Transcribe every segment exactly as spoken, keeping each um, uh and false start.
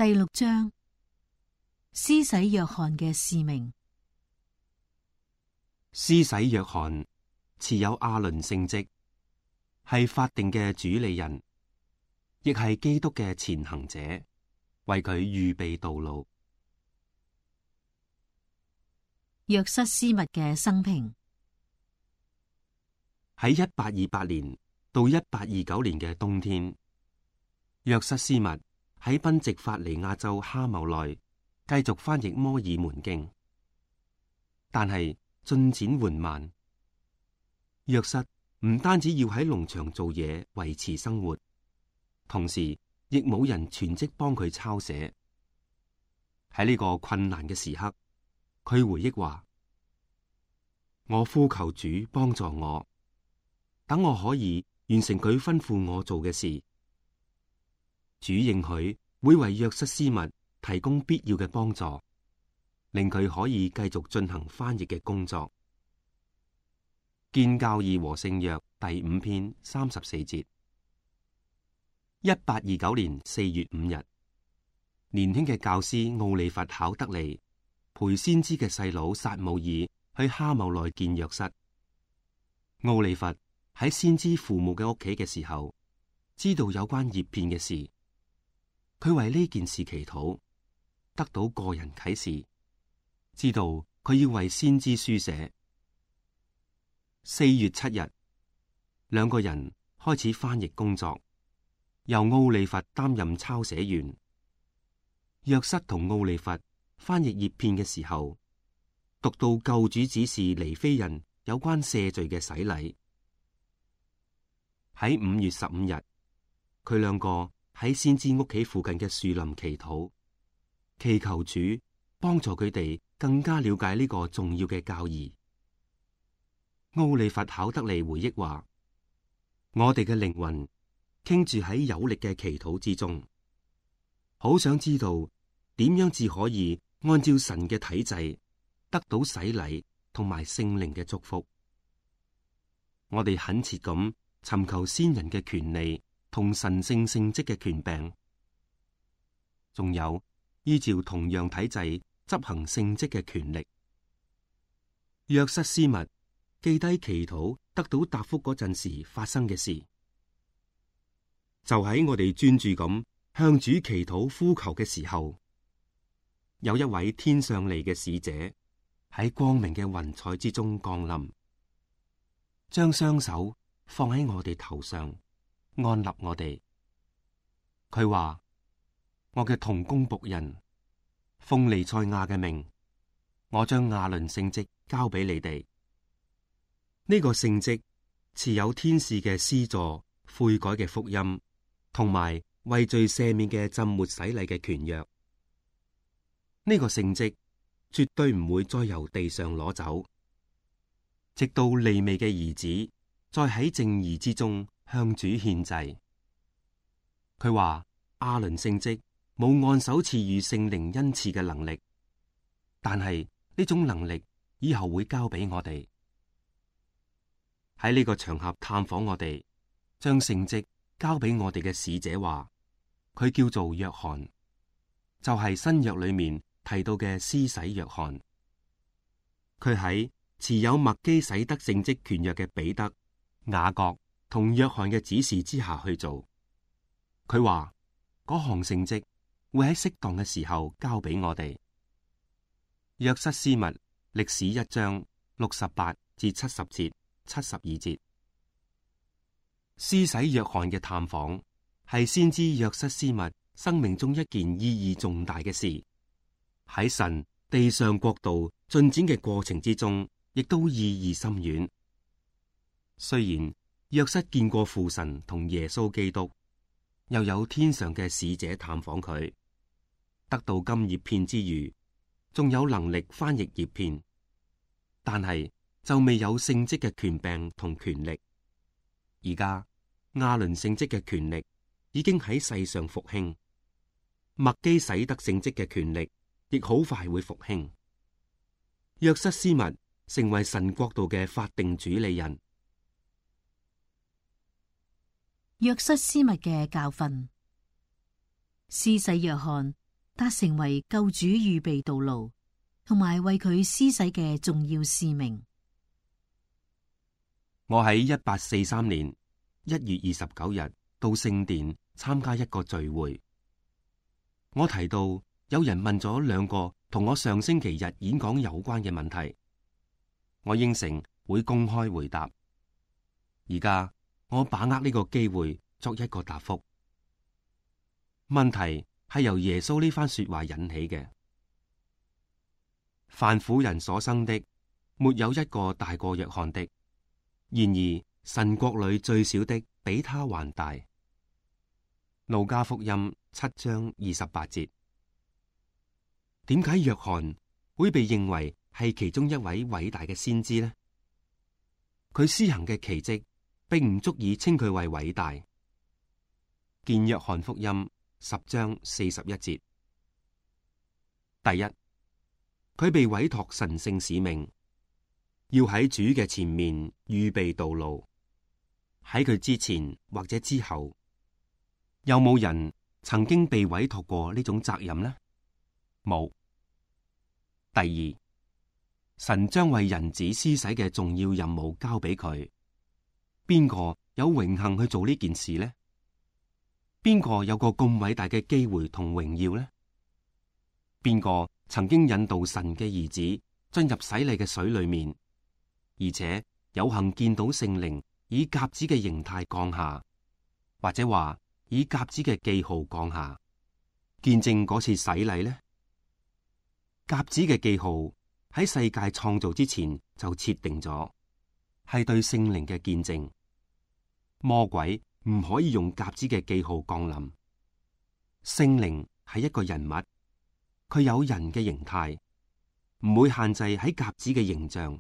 第六章，施洗約翰嘅使命。施洗約翰持有亞倫聖職，係法定嘅主理人，亦係基督嘅前行者，為佢預備道路。約瑟斯密嘅生平。喺一八二八年到一八二九年嘅冬天，約瑟斯密喺賓夕法尼亞州哈茂內繼續翻譯摩爾門經，但係進展緩慢。約瑟唔單止要喺農場做嘢維持生活，同時亦冇人全職幫佢抄寫。喺呢個困難嘅時刻，佢回憶話：我呼求主幫助我，等我可以完成佢吩咐我做嘅事。主應許會為約瑟斯密提供必要嘅幫助，令佢可以繼續進行翻譯嘅工作。建教義和聖約第五篇三十四節。一八二九年四月五日，年輕嘅教師奧利弗考德利陪先知嘅細佬撒母耳去哈茂內見約瑟。奧利弗喺先知父母嘅屋企嘅時候，知道有關葉片嘅事，佢為呢件事祈禱，得到個人啟示，知道佢要為先知書寫。四月七日，兩個人開始翻譯工作，由奧利弗擔任抄寫員。約瑟同奧利弗翻譯葉片嘅時候，讀到救主指示尼非人有關赦罪嘅洗禮。喺五月十五日，佢兩個喺先知屋企附近嘅樹林祈禱，祈求主幫助佢哋更加了解呢個重要嘅教義。奧利弗考德利回憶話：我哋嘅靈魂傾住喺有力嘅祈禱之中，好想知道點樣至可以按照神嘅體制得到洗禮同埋聖靈嘅祝福。我哋懇切咁尋求先人嘅權利同神聖聖職嘅權柄，仲有依照同樣體制執行聖職嘅權力。約瑟斯密記低祈禱得到答覆嗰陣時發生嘅事，就喺我哋專注咁向主祈禱呼求嘅時候，有一位天上嚟嘅使者喺光明嘅雲彩之中降臨，將雙手放喺我哋頭上，安立我哋。佢話：我嘅同工僕人，奉彌賽亞嘅命，我將亞倫聖職交俾你哋。呢個聖職持有天使嘅施助、悔改嘅福音，同埋為罪赦免嘅浸沒洗禮嘅權約。呢個聖職絕對唔會再由地上攞走，直到利未嘅兒子再喺正義之中向主獻祭。佢話亞倫聖職冇按手賜予聖靈恩賜嘅能力，但係呢種能力以後會交俾我哋。喺呢個場合探訪我哋，將聖職交俾我哋嘅使者話，佢叫做約翰，就係新約裏面提到嘅施洗約翰。佢喺持有麥基洗德聖職權約嘅彼得、雅各同約翰嘅指示之下去做。佢話嗰項聖職會喺適當嘅時候交俾我哋。約瑟斯密歷史一章六十八至七十節。七十二節，施洗約翰嘅探訪係先知約瑟斯密生命中一件意義重大嘅事，喺神地上國度進展嘅過程之中，亦都意義深遠。雖然約瑟見過父神同耶穌基督，又有天上嘅使者探訪佢，得到金葉片之餘，仲有能力翻譯葉片，但係就未有聖職嘅權柄同權力。而家亞倫聖職嘅權力已經喺世上復興，麥基洗德聖職嘅權力亦好快會復興。約瑟斯密成為神國度嘅法定主理人。約瑟斯密嘅教訓。施洗約翰達成為救主預備道路，同埋為佢施洗嘅重要使命。我喺一八四三年一月二十九日到聖殿參加一個聚會，我提到有人問咗兩個同我上星期日演講有關嘅問題，我應承會公開回答。而家我把握呢個機會作一個答覆。問題係由耶穌呢番說話引起嘅：凡婦人所生的，沒有一個大過約翰的。然而神國裏最小的比他還大。路加福音七章二十八節。點解約翰會被認為係其中一位偉大嘅先知呢？佢施行嘅奇蹟並唔足以稱佢為偉大。見約翰福音十章四十一節。第一，佢被委託神聖使命，要喺主嘅前面預備道路。喺佢之前或者之後，有冇人曾經被委託過呢種責任呢？冇。第二，神將為人子施洗嘅重要任務交俾佢，邊個有榮幸去做呢件事呢？邊個有個咁偉大嘅機會同榮耀呢？邊個曾經引導神嘅兒子進入洗禮嘅水裏面，而且有幸見到聖靈以鴿子嘅形態降下，或者話以鴿子嘅記號降下，見證嗰次洗禮呢？鴿子嘅記號喺世界創造之前就設定咗，係對聖靈嘅見證。魔鬼唔可以用鴿子嘅記號降臨。聖靈係一個人物，佢有人嘅形態，唔會限制喺鴿子嘅形象，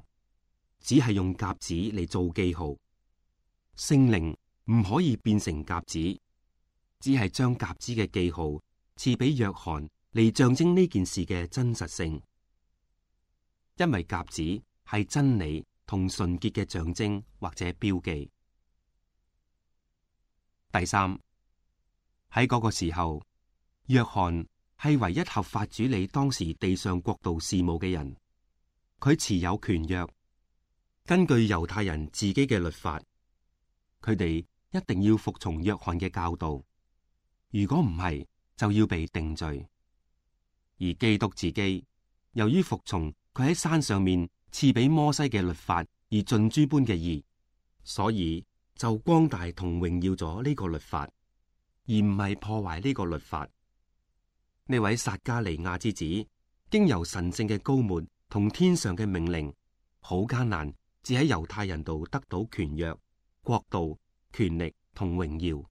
只係用鴿子嚟做記號。聖靈唔可以變成鴿子，只係將鴿子嘅記號賜俾約翰嚟象徵呢件事嘅真實性。因為鴿子係真理同純潔嘅象徵或者標記。第三，喺嗰個時候，約翰係唯一合法主理當時地上國度事務嘅人，佢持有權約，根據猶太人自己嘅律法，佢哋一定要服從約翰嘅教導，如果唔係，就要被定罪。而基督自己由於服從佢喺山上面賜俾摩西嘅律法而盡諸般嘅義，所以就光大同榮耀咗呢個律法，而唔係破壞呢個律法。呢位撒加利亞之子，經由神聖嘅膏抹同天上嘅命令，好艱難，只喺猶太人度得到權約、國度、權力同榮耀。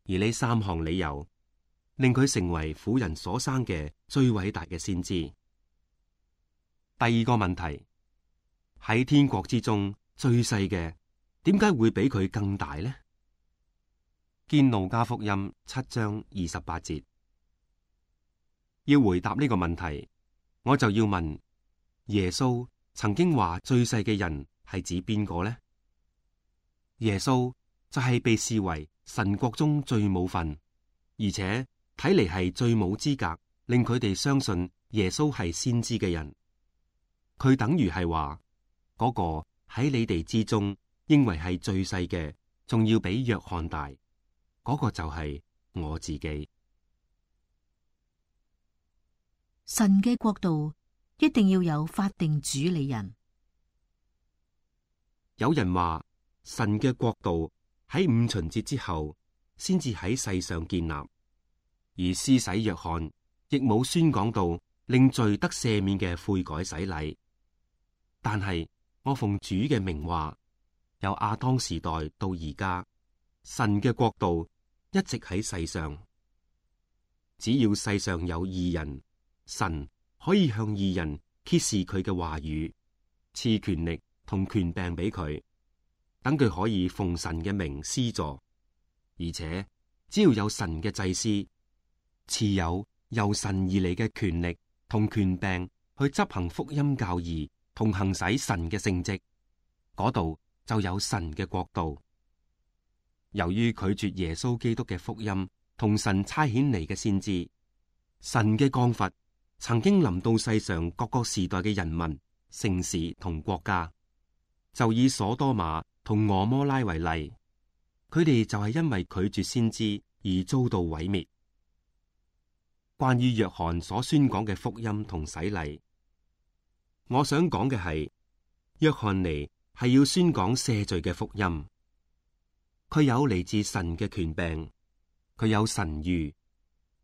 而呢三項理由，令佢成為婦人所生嘅最偉大嘅先知。第二個問題，喺天國之中最細嘅，點解會比佢更大呢？見路加福音七章二十八節。要回答呢個問題，我就要問耶穌曾經話最細嘅人係指邊個呢？耶穌就係被視為神國中最冇份，而且睇嚟係最冇資格令佢哋相信耶穌係先知嘅人。佢等於係話嗰個喺你哋之中認為係最細嘅，仲要比約翰大，嗰個就係我自己。神嘅國度一定要有法定主理人。有人話神嘅國度喺五旬節之後先至喺世上建立，而施洗約翰亦冇宣講到令罪得赦免嘅悔改洗禮。但係我奉主嘅名話，由亞當時代到而家，神嘅國度一直喺世上。只要世上有義人，神可以向義人揭示佢嘅話語，賜權力同權柄俾佢，等佢可以奉神嘅名施助。而且只要有神嘅祭司持有由神而嚟嘅權力同權柄去執行福音教義同行使神嘅聖職，嗰度就有神嘅國度。由於拒絕耶穌基督嘅福音同神差遣嚟嘅先知，神嘅降罰曾經臨到世上各個時代嘅人民、城市同國家。就以所多瑪同俄摩拉為例，佢哋就係因為拒絕先知而遭到毀滅。關於約翰所宣講嘅福音同洗禮，我想講嘅係，約翰尼係要宣講赦罪嘅福音。佢有嚟自神嘅權柄，佢有神諭。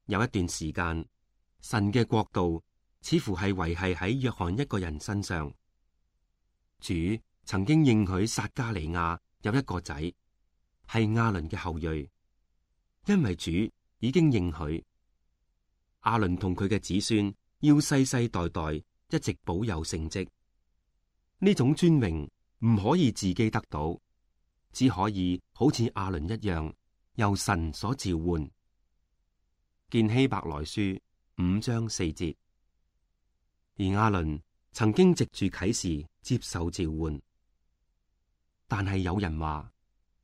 有一段時間，神嘅國度似乎係維繫喺約翰一個人身上。主曾經應許撒加利亞有一個仔，係亞倫嘅後裔，因為主已經應許亞倫同佢嘅子孫要世世代代一直保有聖職。呢種尊榮唔可以自己得到，只可以好似亞倫一樣由神所召喚。見希伯來書五章四節。而亞倫曾經藉住啟示接受召喚。但係有人話，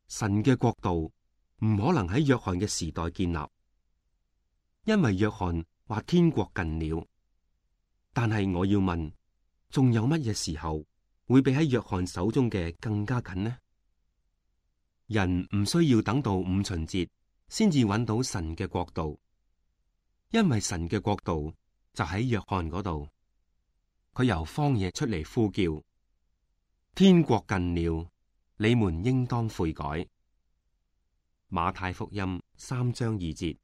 神嘅國度唔可能喺約翰嘅時代建立，因為約翰話天國近了。但係我要問，仲有乜嘢時候會比喺約翰手中嘅更加近呢？人唔需要等到五旬節先至揾到神嘅國度，因為神嘅國度就喺約翰嗰度。佢由荒野出嚟呼叫，天國近了。你們應當悔改。馬太福音三章二節，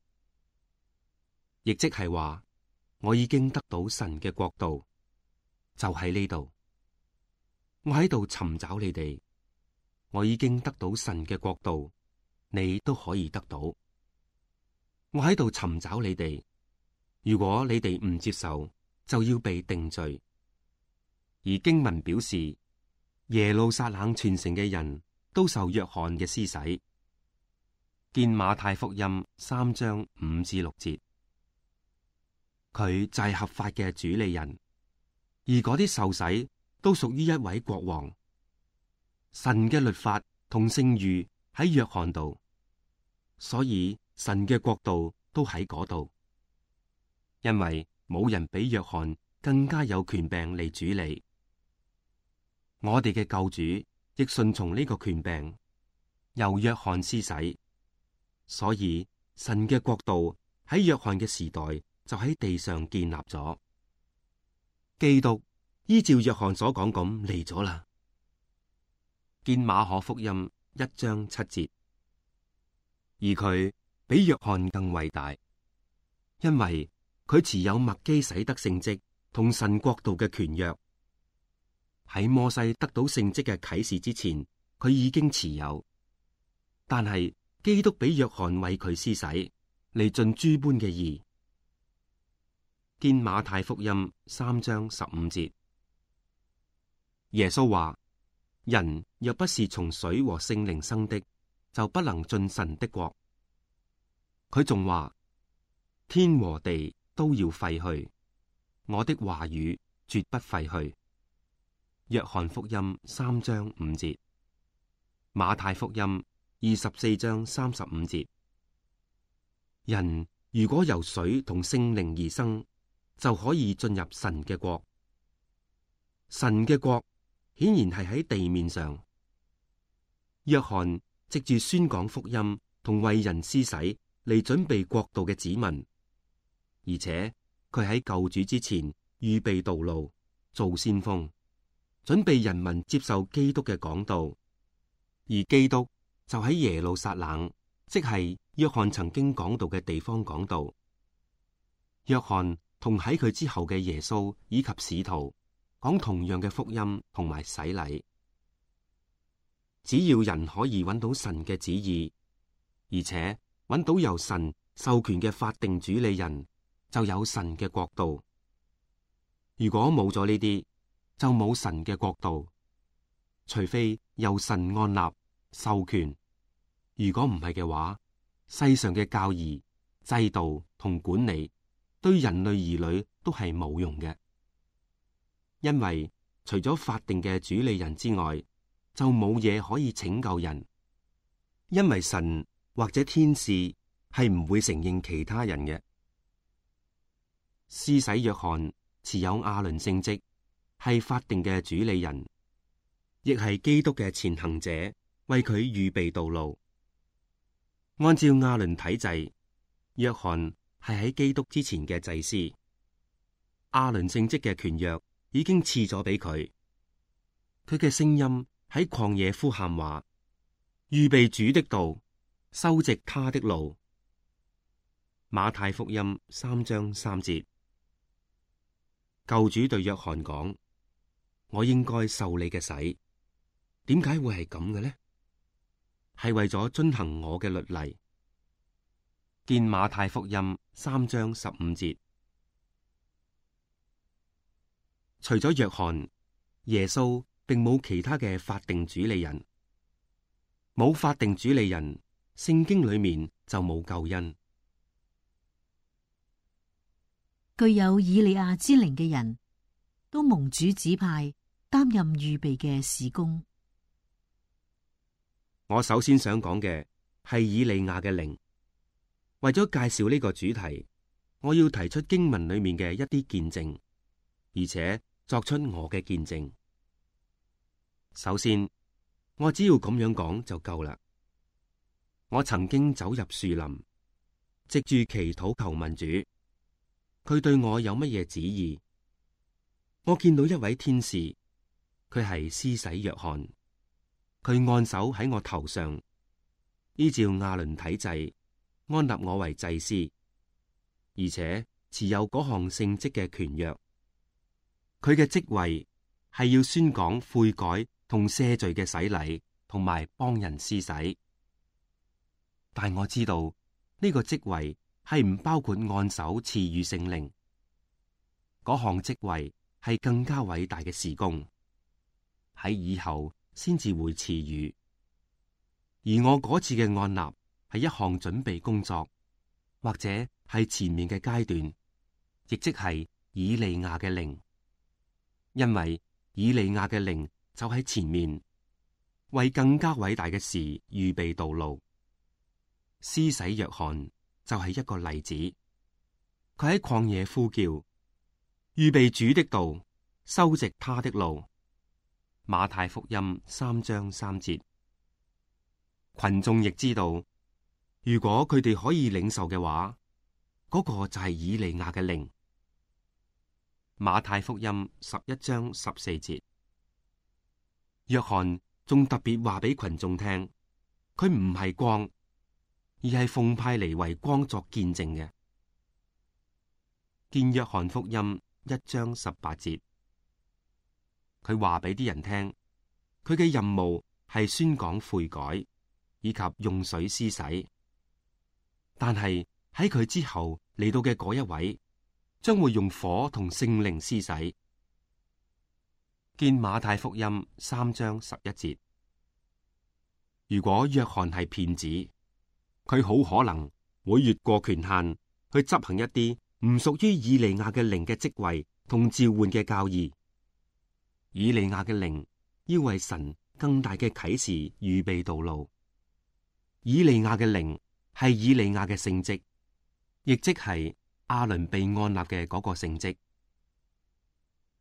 亦即係話，我已經得到神嘅國度，就喺呢度。我喺度尋找你哋，我已經得到神嘅國度，你都可以得到。我喺度尋找你哋，如果你哋唔接受，就要被定罪。而經文表示，耶路撒冷全城嘅人都受約翰嘅施洗。見馬太福音三章五至六節，佢就係合法嘅主理人，而嗰啲受洗都屬於一位國王。神嘅律法同聖諭喺約翰度，所以神嘅國度都喺嗰度。因為冇人比約翰更加有權柄嚟主理。我哋嘅救主亦順從呢個權柄，由約翰施洗，所以神嘅國度喺約翰嘅時代就喺地上建立咗。基督依照約翰所講咁嚟咗啦。見馬可福音一章七節，而佢比約翰更偉大，因為佢持有麥基洗德聖職同神國度嘅權約。喺摩西得到聖職嘅啟示之前，佢已經持有，但係基督比約翰為佢施洗，嚟盡諸般嘅義。見馬太福音三章十五節，耶穌話：人若不是從水和聖靈生的，就不能進神的國。佢仲話：天和地都要廢去，我的話語絕不廢去。約翰福音三章五節，馬太福音二十四章三十五節。人如果由水同聖靈而生，就可以進入神嘅國。神嘅國顯然係喺地面上。約翰藉住宣講福音同為人施洗嚟準備國度嘅子民，而且佢喺救主之前預備道路，做先鋒。準備人民接受基督嘅講道，而基督就喺耶路撒冷，即係約翰曾經講道嘅地方講道。約翰同喺佢之後嘅耶穌以及使徒講同樣嘅福音同埋洗禮。只要人可以揾到神嘅旨意，而且揾到由神授權嘅法定主理人，就有神嘅國度。如果冇咗呢啲，就冇神嘅國度，除非由神按立授權。如果唔係嘅話，世上嘅教義、制度同管理對人類兒女都係冇用嘅，因為除咗法定嘅主理人之外，就冇嘢可以拯救人。因為神或者天使係唔會承認其他人嘅。施洗約翰持有亞倫聖職，係法定嘅主理人，亦係基督嘅前行者，為佢預備道路。按照亞倫體制，約翰係喺基督之前嘅祭司，亞倫聖職嘅權約已經賜咗俾佢。佢嘅聲音喺曠野呼喊話：預備主的道，修直他的路。馬太福音三章三節。救主對約翰講：我應該受你嘅洗，點解會係咁嘅呢？係為咗遵行我嘅律例。見馬太福音三章十五節。除咗約翰，耶穌並冇其他嘅法定主理人。冇法定主理人，聖經裏面就冇救恩。具有以利亞之靈嘅人都蒙主指派擔任預備嘅事工。我首先想講嘅係以利亞嘅靈。為咗介紹呢個主題，我要提出經文裏面嘅一啲見證，而且作出我嘅見證。首先，我只要咁樣講就夠啦。我曾經走入樹林，藉住祈禱求問主，佢對我有乜嘢旨意？我見到一位天使，佢係施洗約翰，佢按手喺我頭上，依照亞倫體制安立我為祭司，而且持有嗰項聖職嘅權約。佢嘅職位係要宣講悔改同赦罪嘅洗禮，同埋幫人施洗。但我知道呢個職位係唔包括按手賜予聖靈。嗰項職位係更加偉大嘅事工，喺以後先至會賜予。而我嗰次嘅按立係一項準備工作，或者係前面嘅階段，亦即係以利亞嘅靈。因為以利亞嘅靈就喺前面，為更加偉大嘅事預備道路。施洗約翰就係一個例子，佢喺曠野呼叫，預備主的道，修直他的路。馬太福音三章三節。群眾亦知道，如果佢哋可以領受嘅話，嗰、那個就係以利亞嘅靈。馬太福音十一章十四節。約翰仲特別話俾群眾聽，佢唔係光，而係奉派嚟為光作見證嘅。見約翰福音一章十八節，佢話俾啲人聽，佢嘅任務係宣講悔改，以及用水施洗。但係喺佢之後嚟到嘅嗰一位，將會用火同聖靈施洗。見馬太福音三章十一節。如果約翰係騙子，佢好可能會越過權限去執行一啲唔屬於以利亞嘅靈嘅職位同召喚嘅教義。以利亞嘅靈要為神更大嘅啟示預備道路。以利亞嘅靈係以利亞嘅聖職，亦即係亞倫被按立嘅嗰個聖職。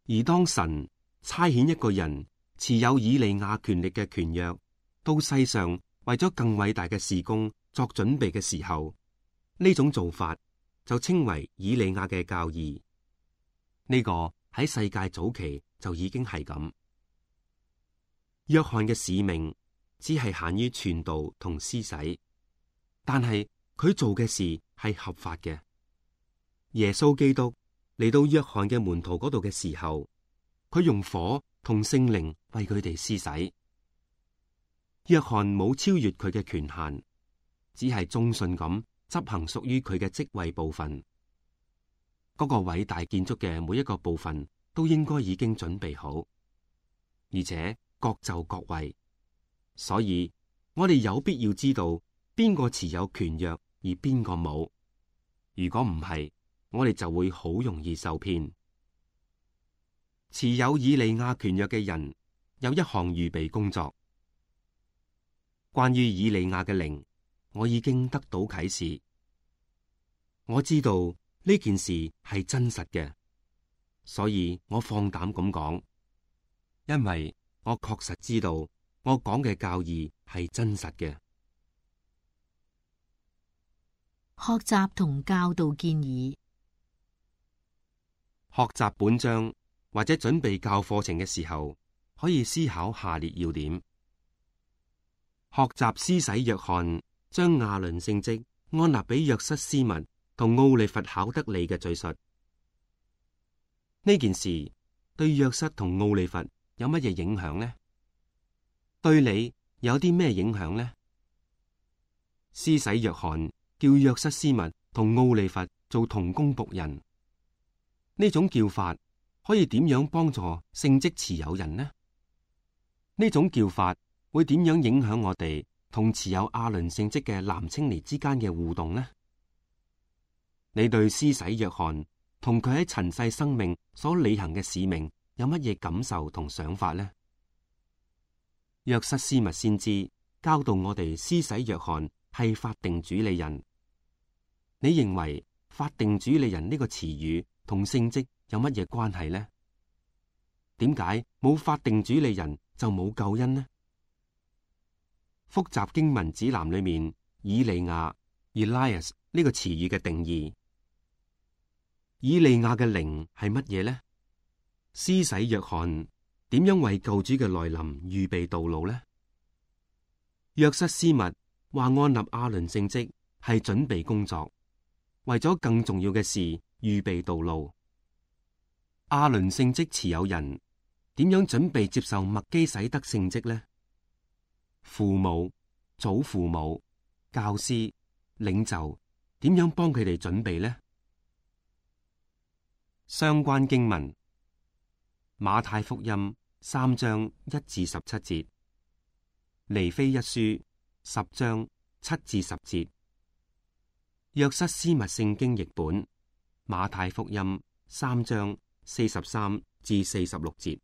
而當神差遣一個人持有以利亞權力嘅權約到世上，為咗更偉大嘅事工作準備嘅時候，呢種做法就稱為以利亞嘅教義。呢、這個喺世界早期就已經係咁。約翰嘅使命只係限於傳道同施洗，但係佢做嘅事係合法嘅。耶穌基督嚟到約翰嘅門徒嗰度嘅時候，佢用火同聖靈為佢哋施洗。約翰冇超越佢嘅權限，只係忠信咁執行屬於佢嘅職位部分。嗰、那個偉大建築嘅每一個部分都應該已經準備好，而且各就各位。所以我哋有必要知道邊個持有權約而邊個冇。如果唔係，我哋就會好容易受騙。持有以利亞權約嘅人有一項預備工作。關於以利亞嘅靈，我已經得到啟示。我知道呢件事係真實嘅，所以我放膽咁講，因為我確實知道我講嘅教義係真實嘅。學習同教導建議。學習本章或者準備教課程嘅時候，可以思考下列要點：學習施洗約翰將亞倫聖職安納俾約瑟斯密同奧利弗考德利嘅敘述，呢件事對約瑟同奧利弗有乜嘢影響呢？對你有啲咩影響呢？施洗約翰叫約瑟斯密同奧利弗做同工僕人，呢種叫法可以點樣幫助聖職持有人呢？呢種叫法會點樣影響我哋同持有亞倫聖職嘅男青年之間嘅互動呢？你對施洗約翰同佢喺塵世生命所履行嘅使命有乜嘢感受同想法呢？約瑟斯密先知教導我哋，施洗約翰係法定主理人。你認為法定主理人呢個詞語同聖職有乜嘢關係呢？點解冇法定主理人就冇救恩呢？複雜經文指南裏面以利亞 Elias 呢個詞語嘅定義，以利亞嘅靈係乜嘢呢？施洗約翰點樣為救主嘅來臨預備道路呢？約瑟斯密話安納亞倫聖職係準備工作，為咗更重要嘅事預備道路。亞倫聖職持有人點樣準備接受麥基洗德聖職呢？父母、祖父母、教師、領袖點樣幫佢哋準備呢？相關經文：馬太福音三章一至十七節，尼非一書十章七至十節，約瑟斯密聖經譯本馬太福音三章四十三至四十六節。